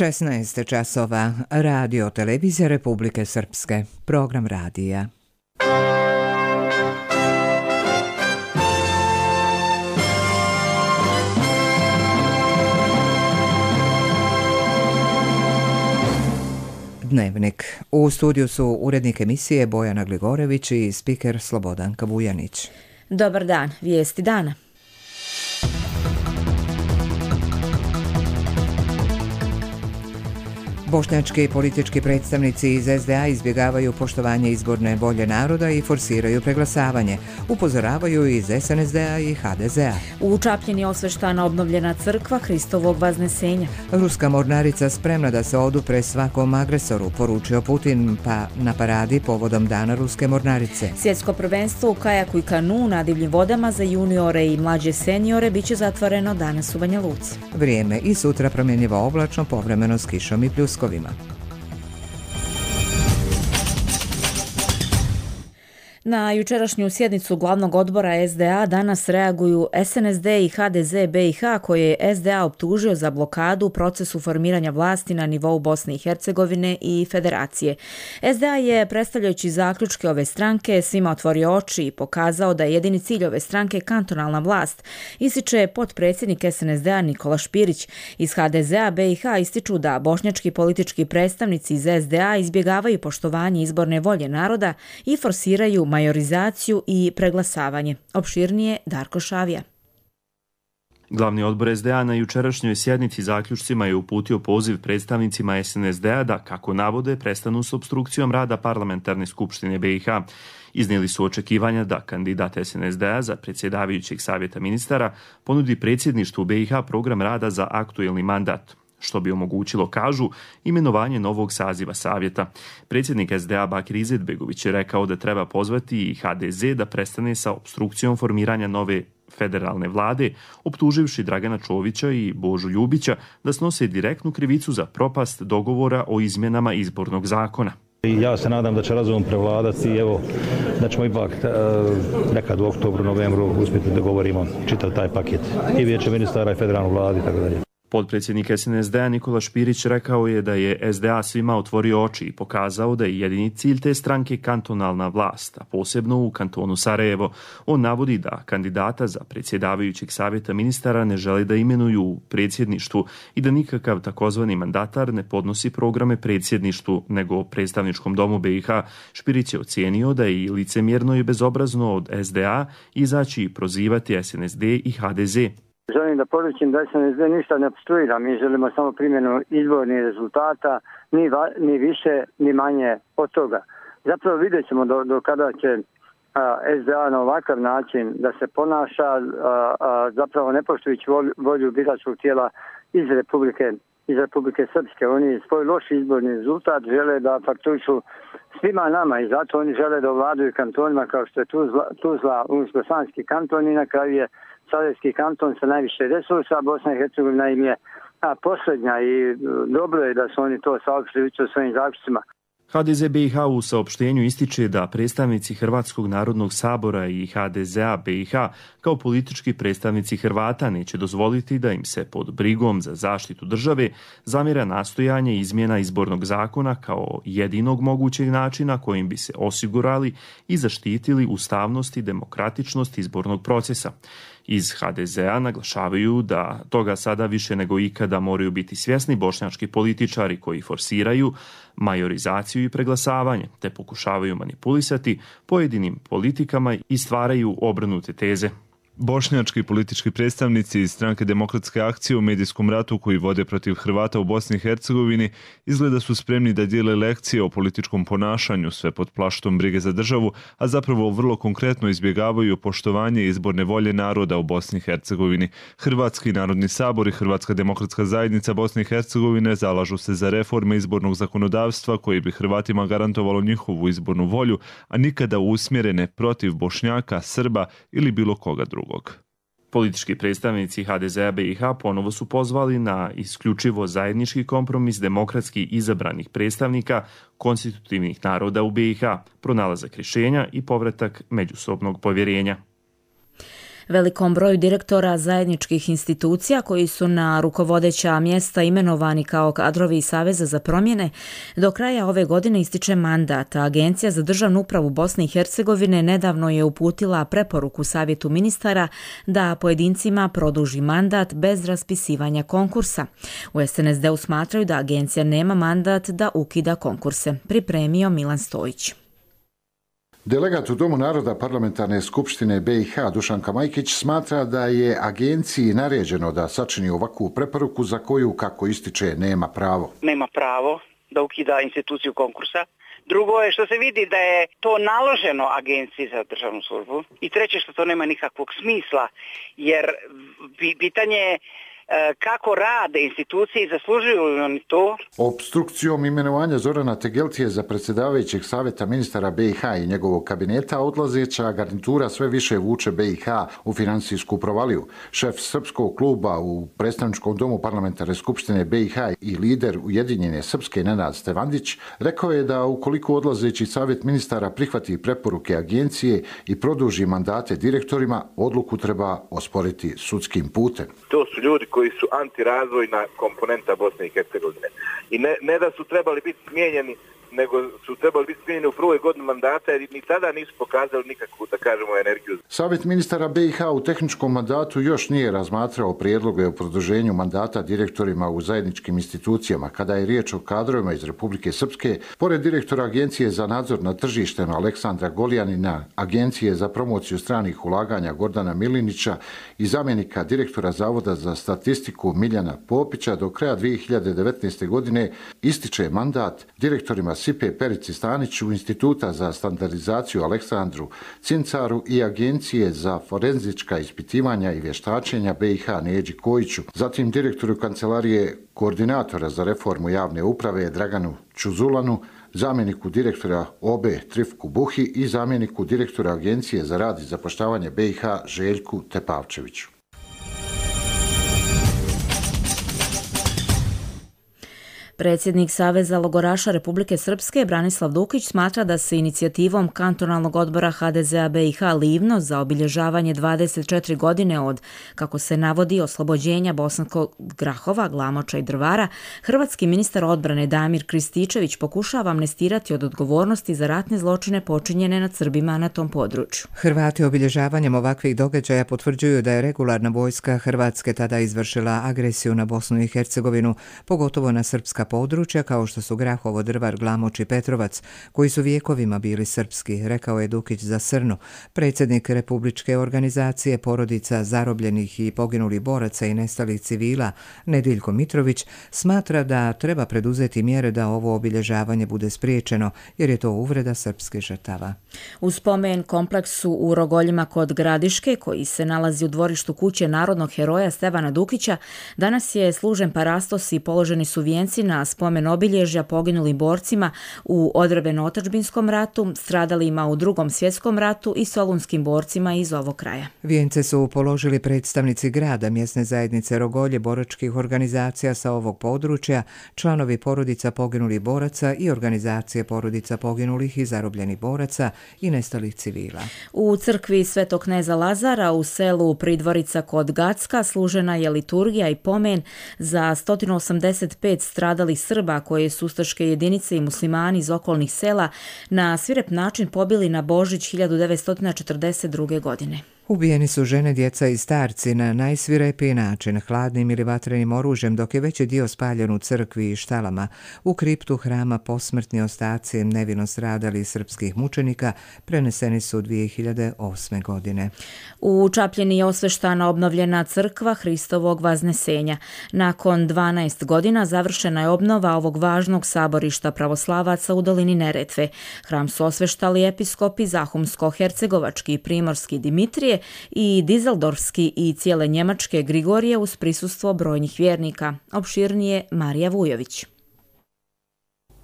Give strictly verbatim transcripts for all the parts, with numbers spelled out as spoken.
šesnaest časova, Radio Televizija Republike Srpske, program radija. Dnevnik. U studiju su urednik emisije Bojana Gligorević i spiker Slobodanka Vujanić. Dobar dan, vijesti dana. Bošnjački politički predstavnici iz es de a izbjegavaju poštovanje izborne volje naroda i forsiraju preglasavanje. Upozoravaju iz es en es de a i ha de ze a. U Čapljini osveštana obnovljena crkva Hristovog Vaznesenja. Ruska mornarica spremna da se odupre svakom agresoru, poručio Putin pa na paradi povodom Dana Ruske mornarice. Svjetsko prvenstvo u kajaku i kanu na divljim vodama za juniore i mlađe seniore biće zatvoreno danas u Banja Luci. Vrijeme i sutra promjenjivo oblačno, povremeno s kišom i pljuskom. Na jučerašnju sjednicu glavnog odbora es de a danas reaguju es en es de i ha de ze be i ha koje je es de a optužio za blokadu u procesu formiranja vlasti na nivou Bosne i Hercegovine i Federacije. es de a je, predstavljajući zaključke ove stranke, svima otvorio oči i pokazao da je jedini cilj ove stranke kantonalna vlast, ističe potpredsjednik es en es de a Nikola Špirić. Iz ha de ze a be i ha ističu da bošnjački politički predstavnici iz es de a izbjegavaju poštovanje izborne volje naroda i forsiraju majorizaciju i preglasavanje. Opširnije Darko Šavija. Glavni odbor es de a na jučerašnjoj sjednici zaključcima je uputio poziv predstavnicima es en es de a da, kako navode, prestanu s opstrukcijom rada parlamentarne skupštine be i ha. Iznijeli su očekivanja da kandidat es en es de a za predsjedavajućeg savjeta ministara ponudi predsjedništvu be i ha program rada za aktuelni mandat, što bi omogućilo, kažu, imenovanje novog saziva savjeta. Predsjednik es de a Bakir Izetbegović je rekao da treba pozvati i ha de ze da prestane sa opstrukcijom formiranja nove federalne vlade, optuživši Dragana Čovića i Božu Ljubića da snose direktnu krivicu za propast dogovora o izmjenama izbornog zakona. Ja se nadam da će razum prevladati i evo da ćemo ipak nekad u oktobru, novembru uspjeti da govorimo čitav taj paket i vijeće ministara i federalnu vladu i tako dalje. Potpredsjednik es en es de a Nikola Špirić rekao je da je es de a svima otvorio oči i pokazao da je jedini cilj te stranke kantonalna vlast, a posebno u kantonu Sarajevo. On navodi da kandidata za predsjedavajućeg savjeta ministara ne žele da imenuju u predsjedništvu i da nikakav takozvani mandatar ne podnosi programe predsjedništvu nego predstavničkom domu be i ha. Špirić je ocijenio da je i licemjerno i bezobrazno od es de a izaći i prozivati es en es de i ha de ze. Želim da poručim da es en es de ništa ne opstruira, mi želimo samo primjenu izbornih rezultata, ni, va, ni više, ni manje od toga. Zapravo vidjet ćemo do, do kada će a, es de a na ovakav način da se ponaša, a, a, zapravo ne poštujući volju, volju biračkog tijela iz Republike, iz Republike Srpske. Oni svoj loš izborni rezultat žele da fakturišu svima nama i zato oni žele da ovladaju kantonima kao što je Tuzla, Tuzla Unsko-Sanski kanton i na kraju je Sarajevski kanton sa najviše resursa, Bosna i Hercegovina im je a, posljednja i dobro je da su oni to saopštili u svojim zaključcima. ha de ze be i ha u saopštenju ističe da predstavnici Hrvatskog narodnog sabora i ha de ze a be i ha kao politički predstavnici Hrvata neće dozvoliti da im se pod brigom za zaštitu države zamjera nastojanje izmjena izbornog zakona kao jedinog mogućeg načina kojim bi se osigurali i zaštitili ustavnost i demokratičnost izbornog procesa. Iz ha de ze a naglašavaju da toga sada više nego ikada moraju biti svjesni bošnjački političari koji forsiraju majorizaciju i preglasavanje, te pokušavaju manipulisati pojedinim politikama i stvaraju obrnute teze. Bošnjački politički predstavnici iz stranke Demokratske akcije u medijskom ratu koji vode protiv Hrvata u Bosni i Hercegovini izgleda su spremni da dijele lekcije o političkom ponašanju, sve pod plaštom brige za državu, a zapravo vrlo konkretno izbjegavaju poštovanje izborne volje naroda u Bosni i Hercegovini. Hrvatski narodni sabor i Hrvatska demokratska zajednica Bosne i Hercegovine zalažu se za reforme izbornog zakonodavstva koji bi Hrvatima garantovalo njihovu izbornu volju, a nikada usmjerene protiv Bošnjaka, Srba ili bilo koga drugog. Politički predstavnici ha de ze a be i ha ponovo su pozvali na isključivo zajednički kompromis demokratski izabranih predstavnika konstitutivnih naroda u be i ha, pronalazak rješenja i povratak međusobnog povjerenja. Velikom broju direktora zajedničkih institucija koji su na rukovodeća mjesta imenovani kao kadrovi iz Saveza za promjene, do kraja ove godine ističe mandat. Agencija za državnu upravu Bosne i Hercegovine nedavno je uputila preporuku Savjetu ministara da pojedincima produži mandat bez raspisivanja konkursa. U S N S D-u smatraju da agencija nema mandat da ukida konkurse. Pripremio Milan Stojić. Delegat u Domu naroda Parlamentarne skupštine B i H Dušanka Majkić smatra da je agenciji naređeno da sačini ovakvu preporuku za koju, kako ističe, nema pravo. Nema pravo da ukida instituciju konkursa. Drugo je što se vidi da je to naloženo agenciji za državnu službu. I treće što to nema nikakvog smisla, jer pitanje je kako rade institucije i zaslužuju li oni to. Obstrukcijom imenovanja Zorana Tegeltije za predsjedavajućeg savjeta ministara B i H i njegovog kabineta odlazeća garnitura sve više vuče B i H u financijsku provaliju. Šef srpskog kluba u predstavničkom domu Parlamentarne skupštine B i H i lider Ujedinjene srpske Nenad Stevandić rekao je da ukoliko odlazeći savjet ministara prihvati preporuke agencije i produži mandate direktorima, odluku treba osporiti sudskim putem. To su ljudi koji koji su antirazvojna komponenta Bosne i Hercegovine. I ne, ne da su trebali biti smijenjeni, nego su trebali biti smijenjeni u prvoj godini mandata, jer ni tada nisu pokazali nikakvu, da kažemo, energiju. Savjet ministara B i H u tehničkom mandatu još nije razmatrao prijedloge o produženju mandata direktorima u zajedničkim institucijama. Kada je riječ o kadrovima iz Republike Srpske, pored direktora Agencije za nadzor nad tržištem Aleksandra Goljanina, Agencije za promociju stranih ulaganja Gordana Milinića i zamjenika direktora Zavoda za statistiku Miljana Popića, do kraja dvije hiljade devetnaeste. godine ističe mandat direktorima Sipe Perici Staniću, Instituta za standardizaciju Aleksandru Cincaru i Agencije za forenzička ispitivanja i vještačenja B i H Neđi Kojiću, zatim direktoru kancelarije koordinatora za reformu javne uprave Draganu Čuzulanu, zamjeniku direktora O B Trifku Buhi i zamjeniku direktora Agencije za rad i zapošljavanje B i H Željku Tepavčeviću. Predsjednik Saveza logoraša Republike Srpske Branislav Dukić smatra da se inicijativom kantonalnog odbora H D Z-a B i H Livno za obilježavanje dvadeset četiri godine od, kako se navodi, oslobođenja Bosanskog Grahova, Glamoča i Drvara, hrvatski ministar odbrane Damir Krističević pokušava amnestirati od odgovornosti za ratne zločine počinjene nad Srbima na tom području. Hrvati obilježavanjem ovakvih događaja potvrđuju da je regularna vojska Hrvatske tada izvršila agresiju na Bosnu i Hercegovinu, pogotovo na srpska područja kao što su Grahovo, Drvar, Glamoč i Petrovac, koji su vijekovima bili srpski, rekao je Dukić za Srnu. Predsjednik Republičke organizacije porodica zarobljenih i poginulih boraca i nestalih civila, Nediljko Mitrović, smatra da treba preduzeti mjere da ovo obilježavanje bude spriječeno, jer je to uvreda srpskih žrtava. U spomen kompleksu u Rogoljima kod Gradiške, koji se nalazi u dvorištu kuće narodnog heroja Stevana Dukića, danas je služen parastos i položeni su vijenci na spomen obilježja poginulim borcima u odbrambeno-otadžbinskom ratu, stradalima u Drugom svjetskom ratu i solunskim borcima iz ovog kraja. Vijence su položili predstavnici grada, mjesne zajednice Rogolje, boračkih organizacija sa ovog područja, članovi porodica poginulih boraca i organizacije porodica poginulih i zarobljenih boraca i nestalih civila. U crkvi Svetog kneza Lazara u selu Pridvorica kod Gacka služena je liturgija i pomen za sto osamdeset pet stradalih Srba koje su ustaške jedinice i muslimani iz okolnih sela na svirep način pobili na Božić hiljadu devetsto četrdeset druge. godine. Ubijeni su žene, djeca i starci na najsvirepiji način, hladnim ili vatrenim oružjem, dok je veći dio spaljen u crkvi i štalama. U kriptu hrama posmrtni ostaci nevino stradalih srpskih mučenika preneseni su dvije hiljade osme. godine. U Čapljini je osveštana obnovljena crkva Hristovog Vaznesenja. Nakon dvanaest godina završena je obnova ovog važnog saborišta pravoslavaca u dolini Neretve. Hram su osveštali episkopi Zahumsko-hercegovački i primorski Dimitrije i Dizeldorfski i cijele Njemačke Grigorije uz prisustvo brojnih vjernika. Opširnije Marija Vujović.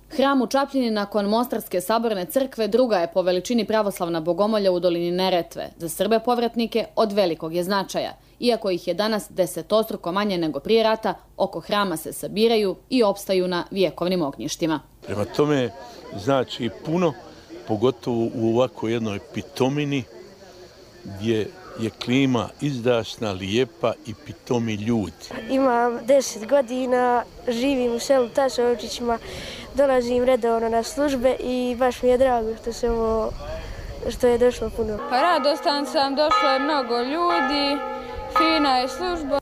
Hram u Čapljini nakon Mostarske saborne crkve druga je po veličini pravoslavna bogomolja u dolini Neretve. Za Srbe povratnike od velikog je značaja. Iako ih je danas desetostruko manje nego prije rata, oko hrama se sabiraju i opstaju na vjekovnim ognjištima. Prema tome znači puno, pogotovo u ovako jednoj pitomini gdje je klima izdašna, lijepa i pitomi ljudi. Imam deset godina, živim u selu Tasovčićima, dolazim redovno na službe i baš mi je drago što se ovo, što je došlo puno. Radostan sam, došlo je mnogo ljudi, fina je služba.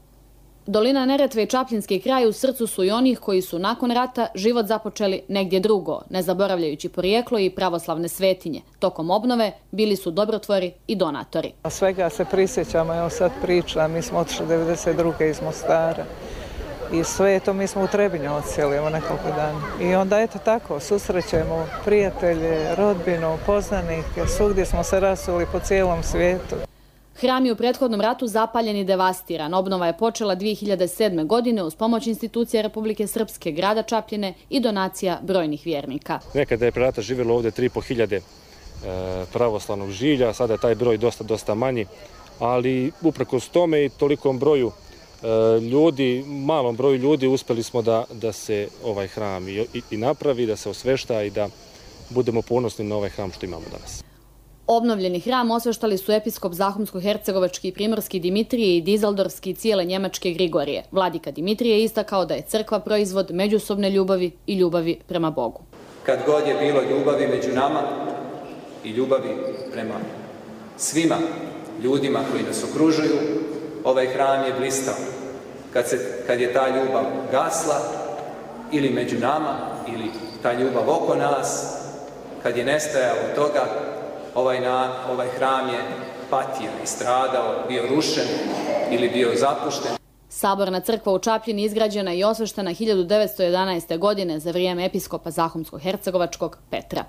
Dolina Neretve i Čapljinski kraj u srcu su i onih koji su nakon rata život započeli negdje drugo, ne zaboravljajući porijeklo i pravoslavne svetinje. Tokom obnove bili su dobrotvori i donatori. Svega se prisjećamo, evo sad pričam, mi smo otišli devedeset druge iz Mostara i sve to mi smo u Trebinju odsjeli evo nekoliko dana. I onda eto tako, susrećemo prijatelje, rodbinu, poznanike, svugdje smo se rasuli po cijelom svijetu. Hram je u prethodnom ratu zapaljen i devastiran. Obnova je počela dvije hiljade sedme. godine uz pomoć institucija Republike Srpske, grada Čapljine i donacija brojnih vjernika. Nekada je pre rata živjelo ovdje tri i po hiljade pravoslavnog žilja, sada je taj broj dosta, dosta manji, ali uprkos tome i tolikom broju ljudi, malom broju ljudi uspjeli smo da, da se ovaj hram i, i, i napravi, da se osvešta i da budemo ponosni na ovaj hram što imamo danas. Obnovljeni hram osveštali su episkop Zahumsko-hercegovački i primorski Dimitrije i Dizeldorski i cijele njemačke Grigorije. Vladika Dimitrije je istakao da je crkva proizvod međusobne ljubavi i ljubavi prema Bogu. Kad god je bilo ljubavi među nama i ljubavi prema svima ljudima koji nas okružuju, ovaj hram je blistao. Kad, se, kad je ta ljubav gasla ili među nama ili ta ljubav oko nas, kad je nestajalo toga, Ovaj, na, ovaj hram je patio i stradao, bio rušen ili bio zapušten. Saborna crkva u Čapljini izgrađena i osveštena hiljadu devetsto jedanaeste. godine za vrijeme episkopa Zahumsko-hercegovačkog Petra.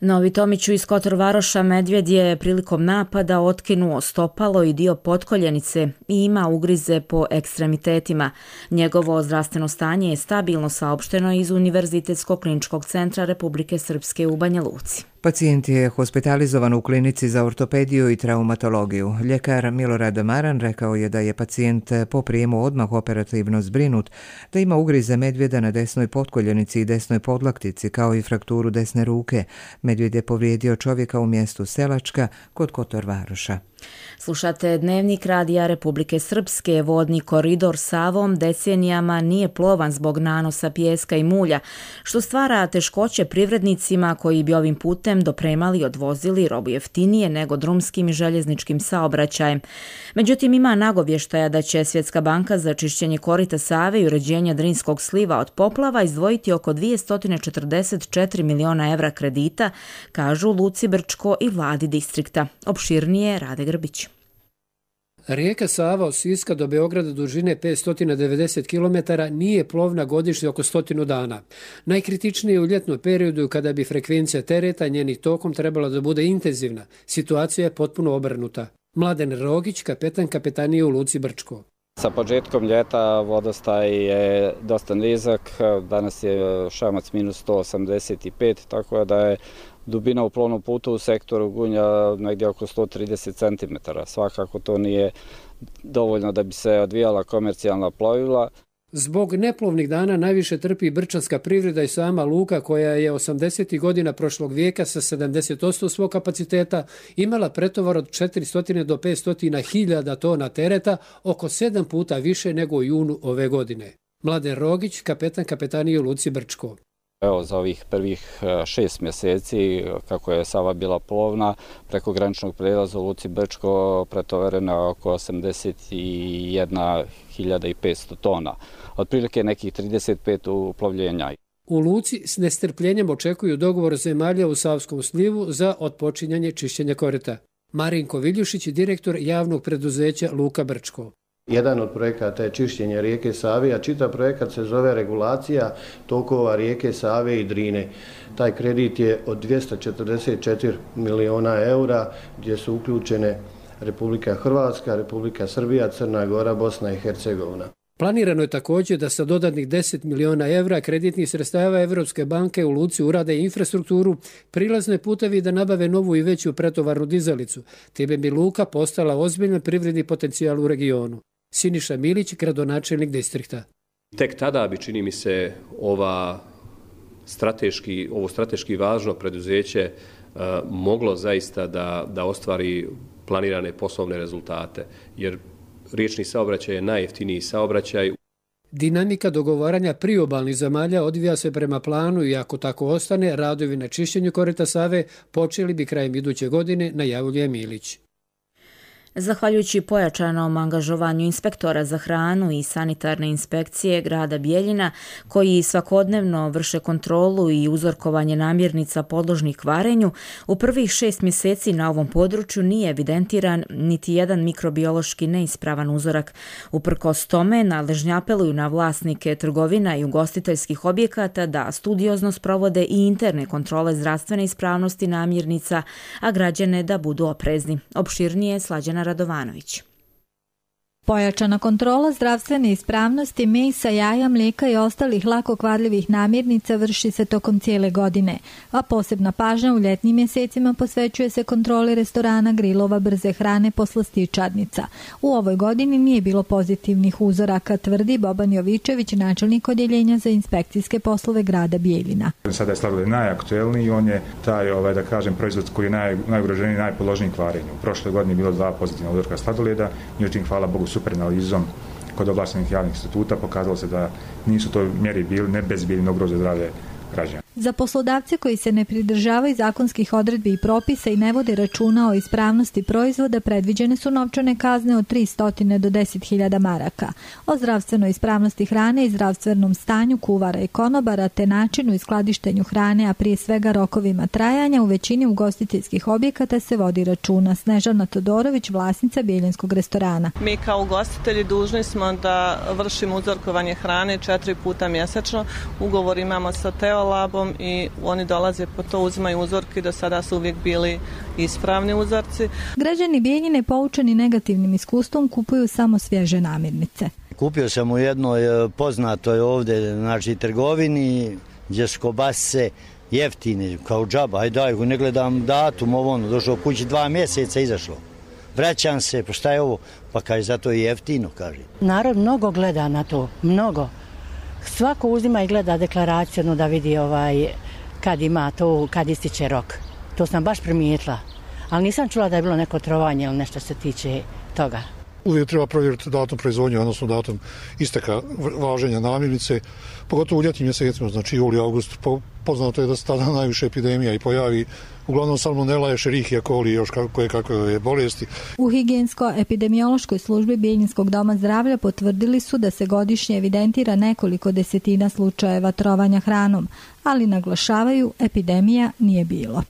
Novi Tomiću iz Kotor Varoša medvjed je prilikom napada otkinuo stopalo i dio potkoljenice i ima ugrize po ekstremitetima. Njegovo zdravstveno stanje je stabilno, saopšteno iz Univerzitetskog kliničkog centra Republike Srpske u Banja Luci. Pacijent je hospitalizovan u klinici za ortopediju i traumatologiju. Ljekar Milorad Maran rekao je da je pacijent po prijemu odmah operativno zbrinut, da ima ugrize medvjeda na desnoj potkoljenici i desnoj podlaktici, kao i frakturu desne ruke. Medvjed je povrijedio čovjeka u mjestu Selačka kod Kotor Varoša. Slušate Dnevnik Radija Republike Srpske. Vodni koridor Savom decenijama nije plovan zbog nanosa pijeska i mulja, što stvara teškoće privrednicima koji bi ovim putem dopremali i odvozili robu jeftinije nego drumskim i željezničkim saobraćajem. Međutim, ima nagovještaja da će Svjetska banka za čišćenje korita Save i uređenje Drinskog sliva od poplava izdvojiti oko dvjesto četrdeset četiri miliona evra kredita, kažu Luci Brčko i vladi distrikta. Opširnije Rade Grbić. Rijeka Sava od Siska do Beograda dužine petsto devedeset kilometara nije plovna godišnje oko stotinu dana. Najkritičnije u ljetnom periodu kada bi frekvencija tereta njenih tokom trebala da bude intenzivna. Situacija je potpuno obrnuta. Mladen Rogić, kapetan kapetanije u Luci Brčko. Sa početkom ljeta vodostaj je dosta nizak, danas je šamac minus sto osamdeset pet, tako da je dubina u plovnom putu u sektoru Gunja negdje oko sto trideset centimetara. Svakako to nije dovoljno da bi se odvijala komercijalna plovila. Zbog neplovnih dana najviše trpi brčanska privreda i sama luka koja je osamdesetih godina prošlog vijeka sa sedamdeset posto svog kapaciteta imala pretovar od četiristo do petsto hiljada tona tereta, oko sedam puta više nego u junu ove godine. Mladen Rogić, kapetan kapetanije u Luci Brčko. Evo, za ovih prvih šest mjeseci, kako je Sava bila plovna, preko graničnog prelaza u Luci Brčko pretovarena oko osamdeset jedna hiljada petsto tona, otprilike nekih trideset pet uplovljenja. U Luci s nestrpljenjem očekuju dogovor zemalja u Savskom slivu za otpočinjanje čišćenja korita. Marinko Viljušić, direktor javnog preduzeća Luka Brčko. Jedan od projekata je čišćenje rijeke Save, a čitav projekat se zove regulacija tokova rijeke Save i Drine. Taj kredit je od dvjesto četrdeset četiri miliona eura, gdje su uključene Republika Hrvatska, Republika Srbija, Crna Gora, Bosna i Hercegovina. Planirano je također da sa dodatnih deset miliona evra kreditnih sredstava Evropske banke u Luci urade infrastrukturu, prilazne putevi da nabave novu i veću pretovarnu dizalicu. Time bi Luka postala ozbiljan privredni potencijal u regionu. Siniša Milić, gradonačelnik distrikta. Tek tada bi, čini mi se, ova strateški, ovo strateški važno preduzeće moglo zaista da, da ostvari planirane poslovne rezultate, jer riječni saobraćaj je najjeftiniji saobraćaj. Dinamika dogovaranja priobalnih zemalja odvija se prema planu i ako tako ostane, radovi na čišćenju korita Save počeli bi krajem iduće godine, najavljuje Milić. Zahvaljujući pojačanom angažovanju inspektora za hranu i sanitarne inspekcije grada Bijeljina, koji svakodnevno vrše kontrolu i uzorkovanje namirnica podložnih kvarenju, u prvih šest mjeseci na ovom području nije evidentiran niti jedan mikrobiološki neispravan uzorak. Uprkos tome, nadležni apeluju na vlasnike trgovina i ugostiteljskih objekata da studiozno sprovode i interne kontrole zdravstvene ispravnosti namirnica, a građane da budu oprezni. Opširnije Slađana Radovanović. Pojačana kontrola zdravstvene ispravnosti mesa, jaja, mlijeka i ostalih lako kvarljivih namirnica vrši se tokom cijele godine, a posebna pažnja u ljetnim mjesecima posvećuje se kontroli restorana, grilova, brze hrane, poslastičarnica. U ovoj godini nije bilo pozitivnih uzoraka, tvrdi Boban Jovičević, načelnik odjeljenja za inspekcijske poslove grada Bijeljina. Sada je sladoled najaktuelniji, on je taj, ovaj, da kažem, proizvod koji je naj, najugroženiji, najpodložniji kvarenju. U prošloj godini je bilo dva pozitivna uzorka sladoleda, međutim, hvala Bogu, super analizom kod ovlaštenih javnih instituta pokazalo se da nisu to mjeri bili ne bezbiljno ugroze zdravlje građana. Za poslodavce koji se ne pridržavaju zakonskih odredbi i propisa i ne vode računa o ispravnosti proizvoda, predviđene su novčane kazne od tristo do deset hiljada maraka. O zdravstvenoj ispravnosti hrane i zdravstvenom stanju kuvara i konobara te načinu i skladištenju hrane, a prije svega rokovima trajanja, u većini ugostiteljskih objekata se vodi računa. Snežana Todorović, vlasnica bijeljinskog restorana. Mi kao ugostitelji dužni smo da vršimo uzorkovanje hrane četiri puta mjesečno. Ugovor imamo sa Teolabom i oni dolaze po to, uzimaju uzorke, do sada su uvijek bili ispravni uzorci. Građani Bijeljine, poučeni negativnim iskustvom, kupuju samo svježe namirnice. Kupio sam u jednoj poznatoj ovdje, znači, trgovini, gdje su kobasice jeftine, kao džaba, aj daj, ne gledam datum, ovo ono, došlo kući dva mjeseca, izašlo. Vraćam se, pa šta je ovo? Pa kaže, zato je jeftino, kaže. Narod mnogo gleda na to, mnogo. Svako uzima i gleda deklaraciju da vidi ovaj, kad ima to, kad ističe rok. To sam baš primijetila. Ali nisam čula da je bilo neko trovanje ili nešto se tiče toga. Uvijek treba provjeriti datum proizvodnje, odnosno datum isteka važenja namirnice, pogotovo u ljetnim mjesecima, znači juli, august. Poznato je da se tada najviše epidemija i pojavi, uglavnom salmonela, Escherichia coli i još koje kakve bolesti. U higijensko-epidemiološkoj službi Bijeljinskog doma zdravlja potvrdili su da se godišnje evidentira nekoliko desetina slučajeva trovanja hranom, ali naglašavaju, epidemija nije bilo.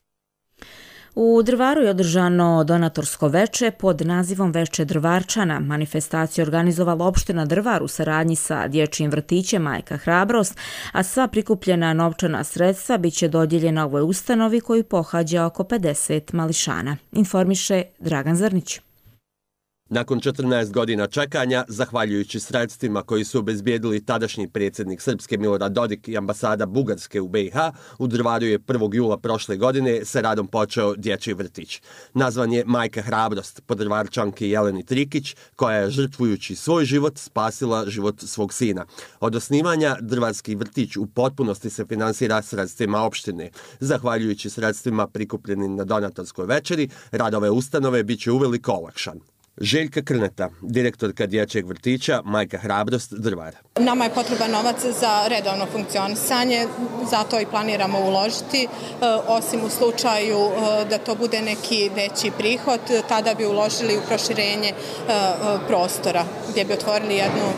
U Drvaru je održano donatorsko veče pod nazivom Veče Drvarčana. Manifestaciju organizovala opština Drvar u saradnji sa dječjim vrtićem Majka Hrabrost, a sva prikupljena novčana sredstva biće dodijeljena ovoj ustanovi koju pohađa oko pedeset mališana. Informiše Dragan Zrnić. Nakon četrnaest godina čekanja, zahvaljujući sredstvima koji su obezbijedili tadašnji predsjednik Srpske Milorad Dodik i ambasada Bugarske u be i ha, u Drvaru je prvog jula prošle godine sa radom počeo dječji vrtić. Nazvan je Majka Hrabrost, po Drvarčanki Jeleni Trikić, koja je, žrtvujući svoj život, spasila život svog sina. Od osnivanja Drvarski vrtić u potpunosti se finansira sredstvima opštine. Zahvaljujući sredstvima prikupljenim na donatorskoj večeri, rad ove ustanove biće uveliko olakšan. Željka Krneta, direktorka dječjeg vrtića Majka Hrabrost, Drvar. Nama je potreban novac za redovno funkcionisanje, zato i planiramo uložiti, osim u slučaju da to bude neki veći prihod, tada bi uložili u proširenje prostora, gdje bi otvorili jednu,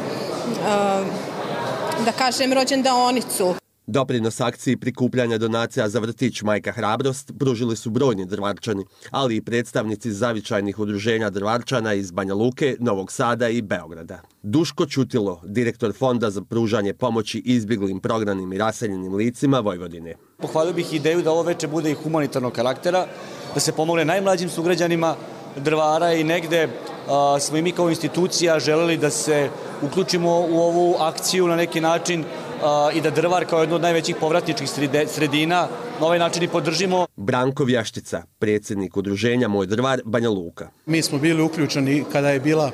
da kažem, rođendaonicu. Doprinos akciji prikupljanja donacija za vrtić Majka Hrabrost pružili su brojni Drvarčani, ali i predstavnici zavičajnih udruženja Drvarčana iz Banja Luke, Novog Sada i Beograda. Duško Ćutilo, direktor Fonda za pružanje pomoći izbjeglim, prognanim i raseljenim licima Vojvodine. Pohvalio bih ideju da ovo veče bude i humanitarnog karaktera, da se pomogne najmlađim sugrađanima Drvara i negde a, smo i mi kao institucija želeli da se uključimo u ovu akciju na neki način a, i da Drvar kao jedno od najvećih povratničkih sredina na ovaj način i podržimo. Branko Vjaštica, predsjednik udruženja Moj drvar, Banja Luka. Mi smo bili uključeni kada je bila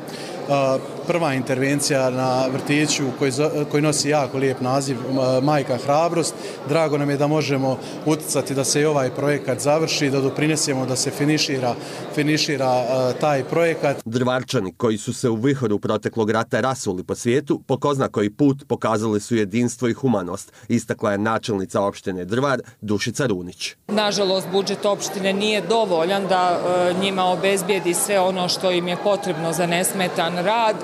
prva intervencija na vrtiću koji, koji nosi jako lijep naziv Majka hrabrost. Drago nam je da možemo utjecati da se i ovaj projekat završi, da doprinesemo da se finišira, finišira taj projekat. Drvarčani koji su se u vihoru proteklog rata rasuli po svijetu, po ko zna koji put pokazali su jedinstvo i humanost, istakla je načelnica opštine Drvar Dušica Runić. Nažalost, budžet opštine nije dovoljan da njima obezbijedi sve ono što im je potrebno za nesmetan rad.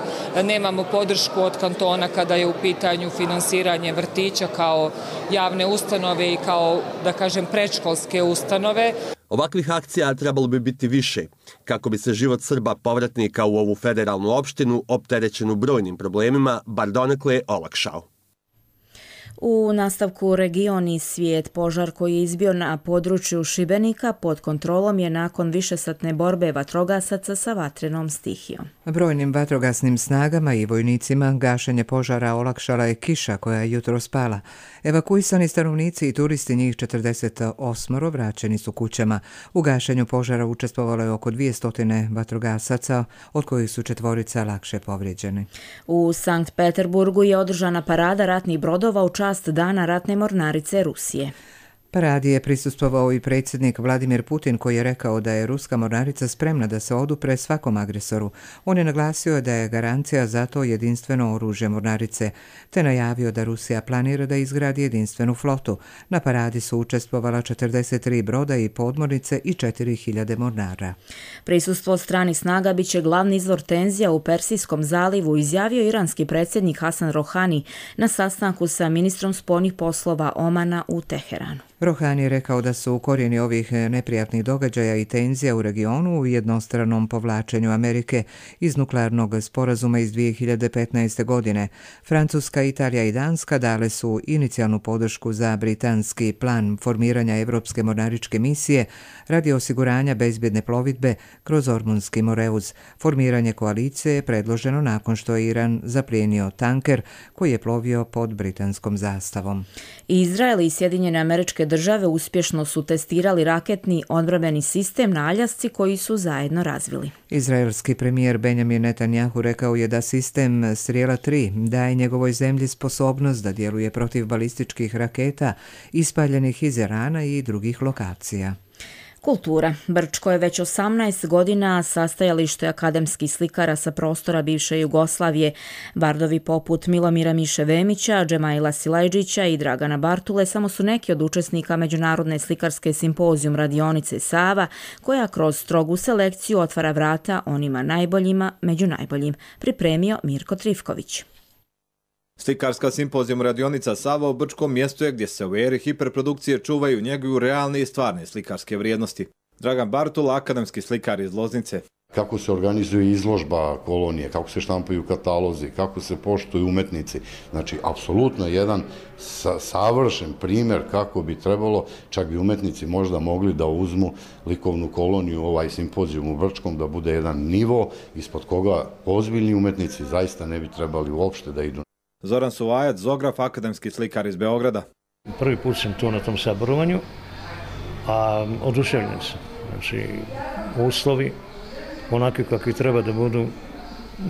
Nemamo podršku od kantona kada je u pitanju finansiranje vrtića kao javne ustanove i kao, da kažem, predškolske ustanove. Ovakvih akcija trebalo bi biti više, kako bi se život Srba povratnika u ovu federalnu opštinu, opterećenu brojnim problemima, bar donekle olakšao. U nastavku region i svijet, požar koji je izbio na području Šibenika pod kontrolom je nakon višesatne borbe vatrogasaca sa vatrenom stihijom. Brojnim vatrogasnim snagama i vojnicima gašenje požara olakšala je kiša koja je jutro spala. Evakuisani stanovnici i turisti, njih četrdeset osam, vraćeni su kućama. U gašenju požara učestvovalo je oko dvjesto vatrogasaca, od kojih su četvorica lakše povrijeđeni. U Sankt Peterburgu je održana parada ratnih brodova u čast Dana ratne mornarice Rusije. Paradi je prisustvovao i predsjednik Vladimir Putin, koji je rekao da je ruska mornarica spremna da se odupre svakom agresoru. On je naglasio da je garancija za to jedinstveno oružje mornarice, te najavio da Rusija planira da izgradi jedinstvenu flotu. Na paradi su učestvovala četrdeset tri broda i podmornice i četiri hiljade mornara. Prisustvo stranih snaga biće glavni izvor tenzija u Persijskom zalivu, izjavio iranski predsjednik Hasan Rohani na sastanku sa ministrom spoljnih poslova Omana u Teheranu. Rohani je rekao da su korijeni ovih neprijatnih događaja i tenzija u regionu u jednostranom povlačenju Amerike iz nuklearnog sporazuma iz dvije hiljade petnaeste. godine. Francuska, Italija i Danska dale su inicijalnu podršku za britanski plan formiranja Evropske mornaričke misije radi osiguranja bezbjedne plovidbe kroz Ormunski moreuz. Formiranje koalicije je predloženo nakon što je Iran zaplijenio tanker koji je plovio pod britanskom zastavom. Izrael i Sjedinjene Američke države uspješno su testirali raketni odbrambeni sistem na Aljasci koji su zajedno razvili. Izraelski premijer Benjamin Netanjahu rekao je da sistem Strijela tri daje njegovoj zemlji sposobnost da djeluje protiv balističkih raketa ispaljenih iz Irana i drugih lokacija. Kultura. Brčko je već osamnaest godina sastajalište akademskih slikara sa prostora bivše Jugoslavije. Bardovi poput Milomira Miše Vemića, Džemaila Silajđića i Dragana Bartule samo su neki od učesnika Međunarodne slikarske simpozijum radionice Sava, koja kroz strogu selekciju otvara vrata onima najboljima među najboljim. Pripremio Mirko Trifković. Slikarska simpozijum radionica Sava u Brčkom mjestu je gdje se u eri hiperprodukcije čuvaju njeguju realne i stvarne slikarske vrijednosti. Dragan Bartula, akademski slikar iz Loznice. Kako se organizuje izložba kolonije, kako se štampaju katalozi, kako se poštuju umetnici. Znači, apsolutno jedan sa, savršen primjer kako bi trebalo, čak bi umetnici možda mogli da uzmu likovnu koloniju, ovaj simpozijum u Brčkom, da bude jedan nivo ispod koga ozbiljni umetnici zaista ne bi trebali uopšte da idu. Zoran Suvajac, zograf, akademski slikar iz Beograda. Prvi put sam tu na tom saborovanju, a oduševljen sam. Znači, uslovi, onakvi kakvi treba da budu,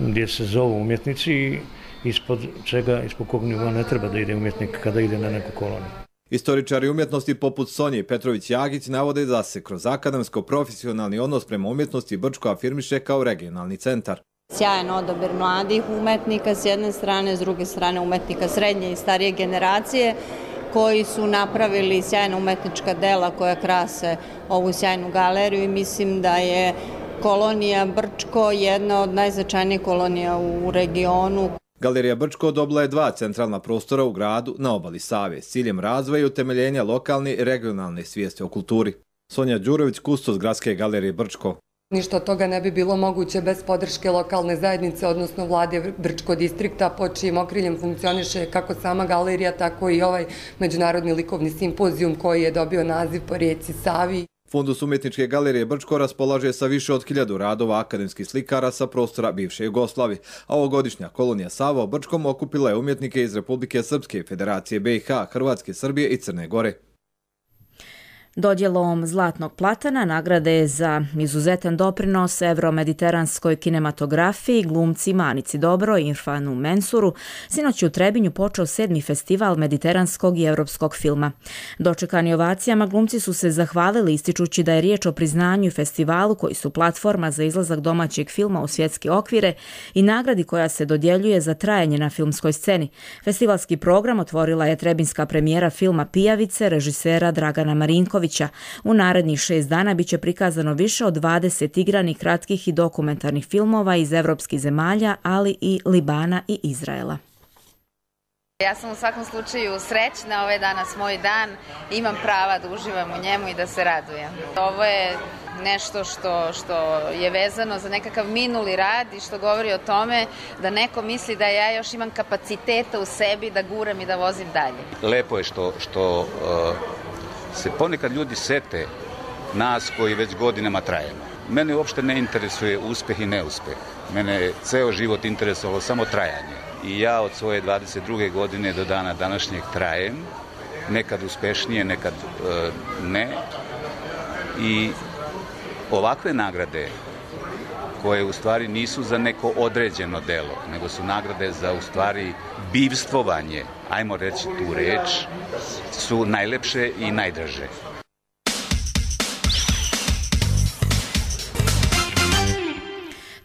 gdje se zovu umjetnici i ispod čega, ispod kog nivoa ne treba da ide umjetnik kada ide na neku koloniju. Istoričari umjetnosti poput Sonje Petrović-Jagić navode da se kroz akademsko-profesionalni odnos prema umjetnosti Brčko afirmiše kao regionalni centar. Sjajan odabir mladih umetnika s jedne strane, s druge strane umetnika srednje i starije generacije koji su napravili sjajna umetnička dela koja krase ovu sjajnu galeriju i mislim da je kolonija Brčko jedna od najznačajnijih kolonija u regionu. Galerija Brčko dobila je dva centralna prostora u gradu na obali Save s ciljem razvoja i utemeljenja lokalne i regionalne svijesti o kulturi. Sonja Đurović, kustos Gradske galerije Brčko. Ništa od toga ne bi bilo moguće bez podrške lokalne zajednice, odnosno vlade Brčko distrikta, pod čijim okriljem funkcioniše kako sama galerija, tako i ovaj međunarodni likovni simpozijum koji je dobio naziv po rijeci Savi. Fundus umjetničke galerije Brčko raspolaže sa više od hiljadu radova akademskih slikara sa prostora bivše Jugoslavije, a ovogodišnja kolonija Sava u Brčkom okupila je umjetnike iz Republike Srpske, Federacije B i H, Hrvatske, Srbije i Crne Gore. Dodjelom Zlatnog platana nagrade za izuzetan doprinos evromediteranskoj kinematografiji glumci Manici Dobro i Irfanu Mensuru sinoć u Trebinju počeo sedmi festival mediteranskog i europskog filma. Dočekani ovacijama glumci su se zahvalili ističući da je riječ o priznanju i festivalu koji su platforma za izlazak domaćeg filma u svjetske okvire i nagradi koja se dodjeljuje za trajanje na filmskoj sceni. Festivalski program otvorila je trebinska premijera filma Pijavice režisera Dragana Marinkovića. U narednih šest dana biće prikazano više od dvadeset igranih, kratkih i dokumentarnih filmova iz evropskih zemalja, ali i Libana i Izraela. Ja sam u svakom slučaju srećna, ovaj danas moj dan, imam prava da uživam u njemu i da se radujem. Ovo je nešto što, što je vezano za nekakav minuli rad i što govori o tome da neko misli da ja još imam kapaciteta u sebi da guram i da vozim dalje. Lepo je što, što uh, se ponekad ljudi sete nas koji već godinama trajemo. Mene uopšte ne interesuje uspeh i neuspeh. Mene je ceo život interesovalo samo trajanje. I ja od svoje dvadeset druge godine do dana današnjeg trajem, nekad uspešnije, nekad e, ne. I ovakve nagrade, koje u stvari nisu za neko određeno delo, nego su nagrade za u stvari bivstvovanje, ajmo reći tu reč, su najlepše i najdraže.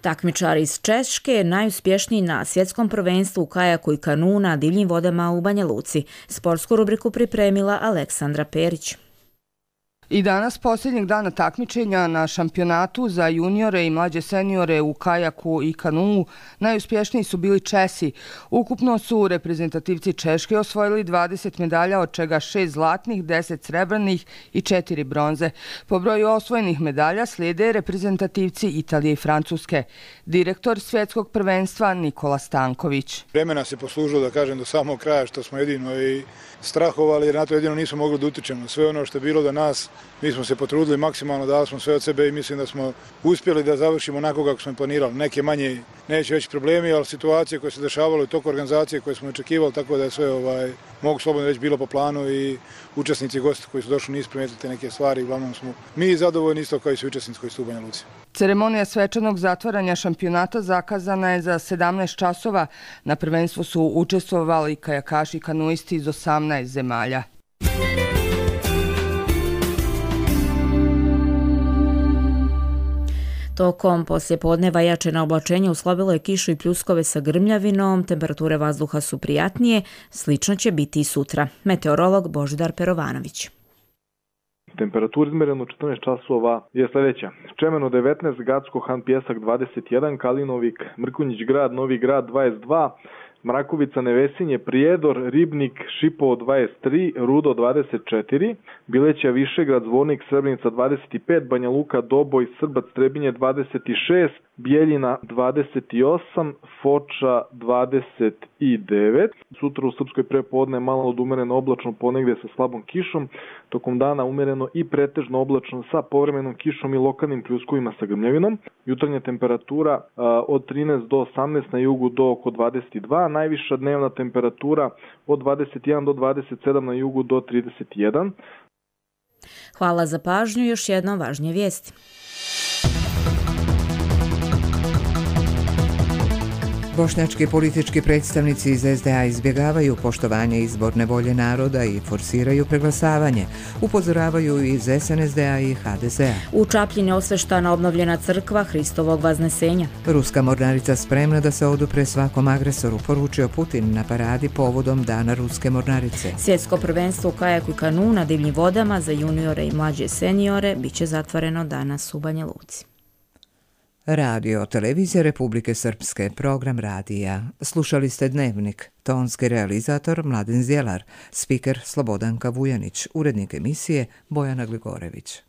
Takmičar iz Češke, najuspješniji na svjetskom prvenstvu u kajaku i kanu na divljim vodama u Banja Luci. Sportsku rubriku pripremila Aleksandra Perić. I danas, posljednjeg dana takmičenja na šampionatu za juniore i mlađe seniore u kajaku i kanuu, najuspješniji su bili Česi. Ukupno su reprezentativci Češke osvojili dvadeset medalja, od čega šest zlatnih, deset srebrnih i četiri bronze. Po broju osvojenih medalja slijede reprezentativci Italije i Francuske. Direktor svjetskog prvenstva Nikola Stanković. Vremena se poslužilo, da kažem, do samog kraja, što smo jedino i strahovali, jer na to jedino nismo mogli da utičemo. Sve ono što je bilo do nas, mi smo se potrudili maksimalno, dali smo sve od sebe i mislim da smo uspjeli da završimo onako kako smo planirali. Neke manje neće veći problemi, ali situacije koje se dešavale u toku organizacije koje smo očekivali, tako da je sve, ovaj, mogu slobodno reći, bilo po planu i učesnici i gosti koji su došli nisu primijetili te neke stvari. Uglavnom smo mi zadovoljni isto kao i svi učesnici koji su u Banja Luci. Ceremonija svečanog zatvaranja šampionata zakazana je za sedamnaest časova. Na prvenstvu su učestvovali kajakaši i kanuisti iz osamnaest zemalja. Tokom poslijepodneva jačena oblačenja uslabilo je kišu i pljuskove sa grmljavinom, temperature vazduha su prijatnije, slično će biti i sutra. Meteorolog Božidar Perovanović. Temperatura izmerena u četrnaest časova je sljedeća. Čemeno devetnaest, Gacko Han Pjesak dvadeset jedan, Kalinovik, Mrkonjić Grad, Novi Grad dvadeset dva, Mrakovica, Nevesinje, Prijedor, Ribnik, Šipovo dvadeset tri, Rudo dvadeset četiri, Bileća, Višegrad, Zvornik, Srebrenica dvadeset pet, Banja Luka, Doboj, Srbac, Trebinje dvadeset šest, Bijeljina dvadeset osam, Foča dvadeset devet. Sutra u Srpskoj prepodne malo od umereno oblačno ponegde sa slabom kišom, tokom dana umereno i pretežno oblačno sa povremenom kišom i lokalnim pljuskovima sa grmljavinom. Jutarnja temperatura a, od trinaest do osamnaest, na jugu do oko dvadeset dva, najviša dnevna temperatura od dvadeset jedan do dvadeset sedam, na jugu do trideset jedan. Hvala za pažnju, još jednom važnije vijesti. Bošnjački politički predstavnici iz es de a izbjegavaju poštovanje izborne volje naroda i forsiraju preglasavanje, upozoravaju iz es en es de a i ha de ze a. U Čapljini osveštana obnovljena crkva Hristovog Vaznesenja. Ruska mornarica spremna da se odupre svakom agresoru, poručio Putin na paradi povodom Dana Ruske mornarice. Svjetsko prvenstvo u kajaku i kanu na divljim vodama za juniore i mlađe seniore biće zatvoreno danas u Banja Luci. Radio Televizija Republike Srpske, program radija. Slušali ste Dnevnik, tonski realizator Mladen Zjelar, spiker Slobodanka Vujanić, urednik emisije Bojana Gligorević.